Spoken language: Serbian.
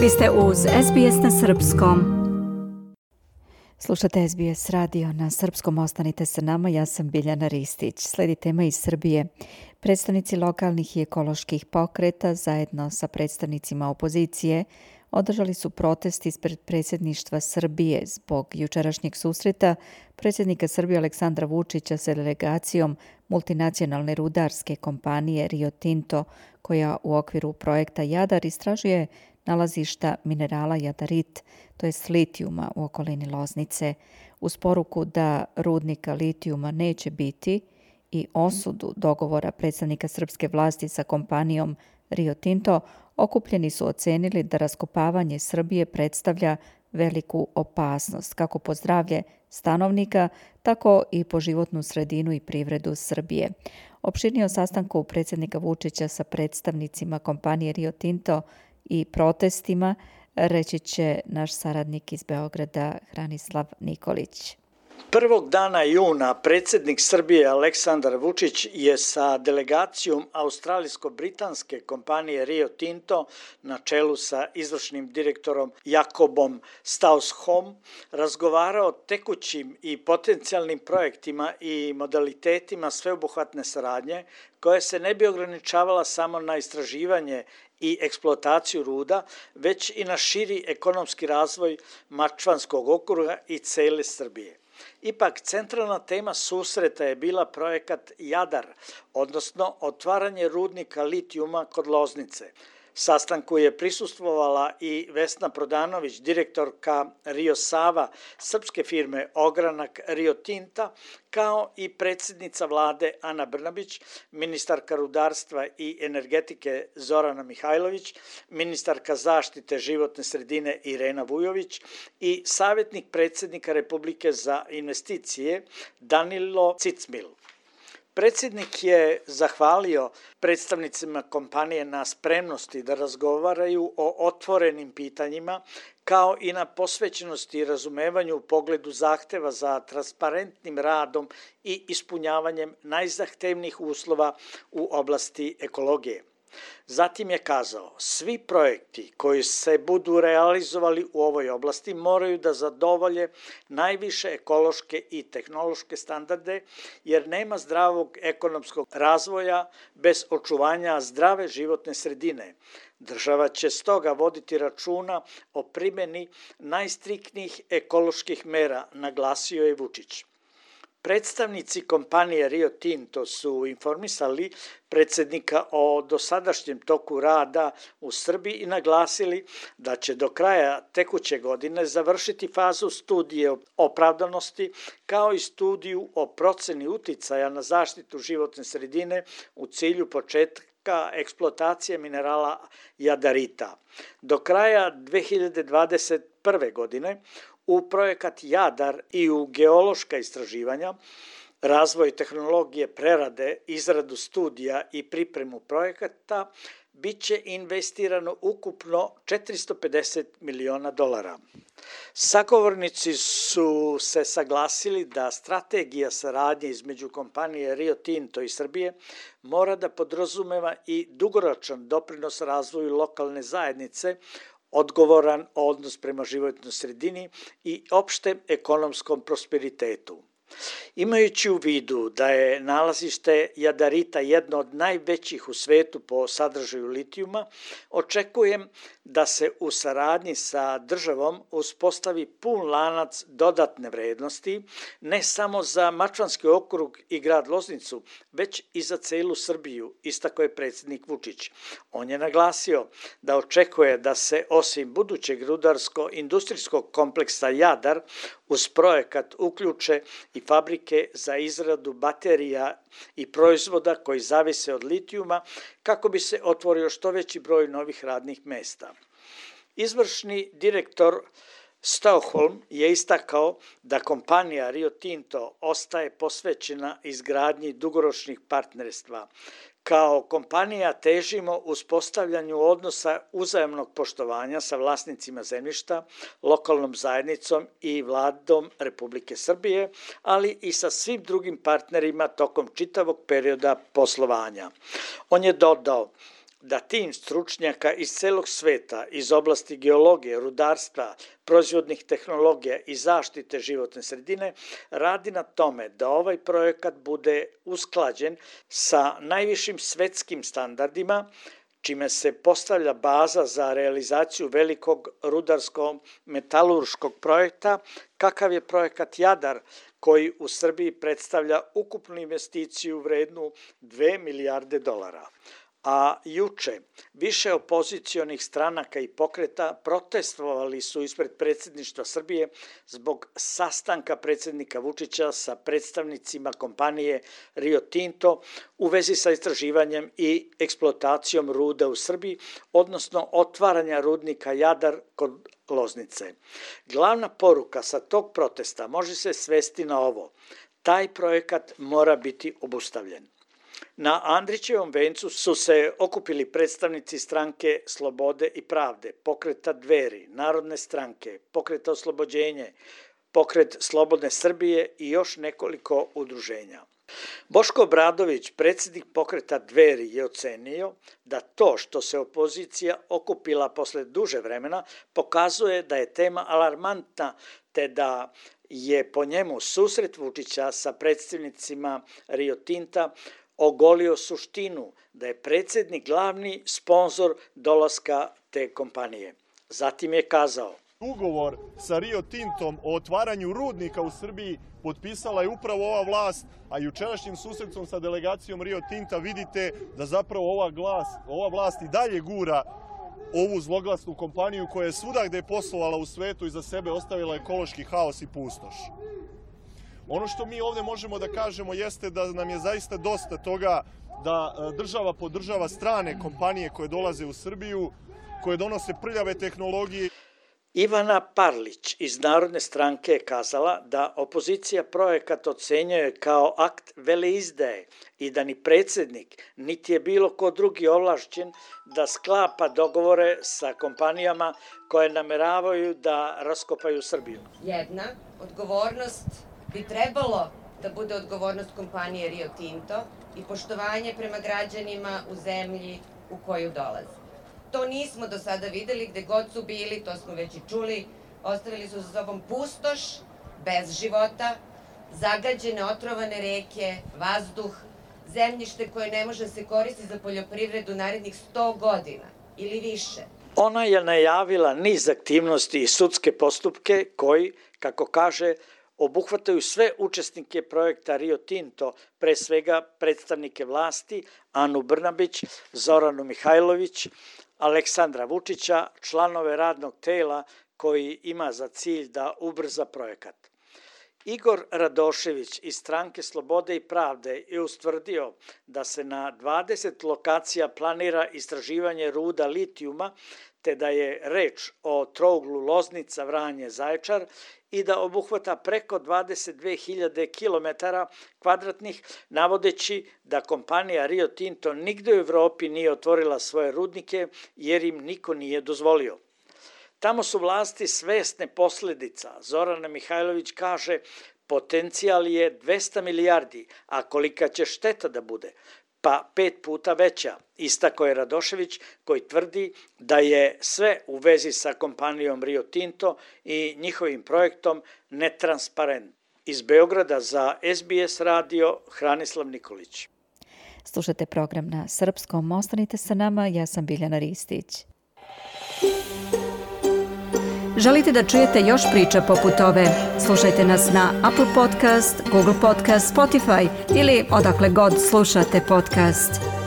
Vi ste uz SBS na Srpskom. Slušate SBS radio na Srpskom, ostanite sa nama, ja sam Biljana Ristić. Sledi tema iz Srbije. Predstavnici lokalnih i ekoloških pokreta zajedno sa predstavnicima opozicije održali su protest ispred predsjedništva Srbije zbog jučerašnjeg susreta predsjednika Srbije Aleksandra Vučića sa delegacijom multinacionalne rudarske kompanije Rio Tinto, koja u okviru projekta Jadar istražuje nalazišta minerala jadarit, to jest litijuma u okolini Loznice, uz poruku da rudnika litijuma neće biti i osudu dogovora predstavnika srpske vlasti sa kompanijom Rio Tinto, okupljeni su ocenili da raskopavanje Srbije predstavlja veliku opasnost, kako po zdravlje stanovnika, tako i po životnu sredinu i privredu Srbije. Opširnije o sastanku predsjednika Vučića sa predstavnicima kompanije Rio Tinto i protestima reći će naš saradnik iz Beograda Hranislav Nikolić. Prvog dana juna predsjednik Srbije Aleksandar Vučić je sa delegacijom australijsko-britanske kompanije Rio Tinto na čelu sa izvršnim direktorom Jakobom Staushom razgovarao o tekućim i potencijalnim projektima i modalitetima sveobuhvatne saradnje koja se ne bi ograničavala samo na istraživanje i eksploataciju ruda, već i na širi ekonomski razvoj Mačvanskog okruga i cele Srbije. Ipak, centralna tema susreta je bila projekat Jadar, odnosno otvaranje rudnika litijuma kod Loznice. Sastanku je prisustvovala i Vesna Prodanović, direktorka Rio Sava, srpske firme Ogranak Rio Tinta, kao i predsjednica vlade Ana Brnabić, ministarka rudarstva i energetike Zorana Mihajlović, ministarka zaštite životne sredine Irena Vujović i savjetnik predsjednika Republike za investicije Danilo Cicmil. Predsjednik je zahvalio predstavnicima kompanije na spremnosti da razgovaraju o otvorenim pitanjima, kao i na posvećenosti i razumevanju u pogledu zahteva za transparentnim radom i ispunjavanjem najzahtevnijih uslova u oblasti ekologije. Zatim je kazao, svi projekti koji se budu realizovali u ovoj oblasti moraju da zadovolje najviše ekološke i tehnološke standarde, jer nema zdravog ekonomskog razvoja bez očuvanja zdrave životne sredine. Država će stoga voditi računa o primjeni najstriktnijih ekoloških mera, naglasio je Vučić. Predstavnici kompanije Rio Tinto su informisali predsjednika o dosadašnjem toku rada u Srbiji i naglasili da će do kraja tekuće godine završiti fazu studije opravdanosti kao i studiju o proceni uticaja na zaštitu životne sredine u cilju početka eksploatacije minerala jadarita. Do kraja 2021. godine u projekat Jadar i u geološka istraživanja, razvoj tehnologije prerade, izradu studija i pripremu projekata bit će investirano ukupno $450 miliona. Sagovornici su se saglasili da strategija saradnje između kompanije Rio Tinto i Srbije mora da podrazumeva i dugoročan doprinos razvoju lokalne zajednice, odgovoran odnos prema životnoj sredini i opštem ekonomskom prosperitetu. Imajući u vidu da je nalazište jadarita jedno od najvećih u svetu po sadržaju litijuma, očekujem da se u saradnji sa državom uspostavi pun lanac dodatne vrednosti, ne samo za Mačvanski okrug i grad Loznicu, već i za celu Srbiju, istakao je predsjednik Vučić. On je naglasio da očekuje da se osim budućeg rudarsko-industrijskog kompleksa Jadar uz projekat uključe i fabrike za izradu baterija i proizvoda koji zavise od litijuma kako bi se otvorio što veći broj novih radnih mesta. Izvršni direktor Stauholm je istakao da kompanija Rio Tinto ostaje posvećena izgradnji dugoročnih partnerstva. Kao kompanija težimo uspostavljanju odnosa uzajamnog poštovanja sa vlasnicima zemljišta, lokalnom zajednicom i vladom Republike Srbije, ali i sa svim drugim partnerima tokom čitavog perioda poslovanja. On je dodao, da tim stručnjaka iz celog sveta, iz oblasti geologije, rudarstva, proizvodnih tehnologija i zaštite životne sredine, radi na tome da ovaj projekat bude usklađen sa najvišim svetskim standardima, čime se postavlja baza za realizaciju velikog rudarsko-metalurškog projekta, kakav je projekat Jadar, koji u Srbiji predstavlja ukupnu investiciju vrednu 2 milijarde dolara. A juče više opozicionih stranaka i pokreta protestovali su ispred predsjedništva Srbije zbog sastanka predsjednika Vučića sa predstavnicima kompanije Rio Tinto u vezi sa istraživanjem i eksploatacijom ruda u Srbiji, odnosno otvaranja rudnika Jadar kod Loznice. Glavna poruka sa tog protesta može se svesti na ovo: taj projekat mora biti obustavljen. Na Andrićevom vencu su se okupili predstavnici stranke Slobode i pravde, pokreta Dveri, Narodne stranke, pokreta Oslobođenje, pokret Slobodne Srbije i još nekoliko udruženja. Boško Obradović, predsjednik pokreta Dveri, je ocenio da to što se opozicija okupila posle duže vremena pokazuje da je tema alarmantna, te da je po njemu susret Vučića sa predstavnicima Rio Tinta ogolio suštinu da je predsjednik glavni sponzor dolaska te kompanije. Zatim je kazao: ugovor sa Rio Tintom o otvaranju rudnika u Srbiji potpisala je upravo ova vlast, a jučerašnjim susretom sa delegacijom Rio Tinta vidite da zapravo ova vlast i dalje gura ovu zloglasnu kompaniju koja je svuda gde je poslovala u svetu iza sebe ostavila ekološki haos i pustoš. Ono što mi ovdje možemo da kažemo jeste da nam je zaista dosta toga da država podržava strane kompanije koje dolaze u Srbiju, koje donose prljave tehnologije. Ivana Parlić iz Narodne stranke je kazala da opozicija projekat ocenjuje kao akt veleizdaje i da ni predsjednik, niti je bilo ko drugi ovlašćen da sklapa dogovore sa kompanijama koje nameravaju da raskopaju Srbiju. Jedna odgovornost bi trebalo da bude odgovornost kompanije Rio Tinto i poštovanje prema građanima u zemlji u koju dolaze. To nismo do sada videli, gde god su bili, to smo već i čuli, ostavili su za sobom pustoš, bez života, zagađene, otrovane reke, vazduh, zemljište koje ne može se koristiti za poljoprivredu narednih 100 godina ili više. Ona je najavila niz aktivnosti i sudske postupke koji, kako kaže, obuhvataju sve učesnike projekta Rio Tinto, pre svega predstavnike vlasti, Anu Brnabić, Zoranu Mihajlović, Aleksandra Vučića, članove radnog tela koji ima za cilj da ubrza projekat. Igor Radošević iz stranke Slobode i pravde je ustvrdio da se na 20 lokacija planira istraživanje ruda litijuma, te da je reč o trouglu Loznica, Vranje, Zaječar i da obuhvata preko 22.000 km2, navodeći da kompanija Rio Tinto nigde u Evropi nije otvorila svoje rudnike jer im niko nije dozvolio. Tamo su vlasti svesne posledica. Zorana Mihajlović kaže: potencijal je 200 milijardi, a kolika će šteta da bude? Pa 5 puta veća, istakao je Radošević, koji tvrdi da je sve u vezi sa kompanijom Rio Tinto i njihovim projektom netransparentno. Iz Beograda za SBS radio Hranislav Nikolić. Slušate program na srpskom. Ostanite sa nama, ja sam Biljana Ristić. Želite da čujete još priča poput ove? Slušajte nas na Apple Podcast, Google Podcast, Spotify ili odakle god slušate podcast.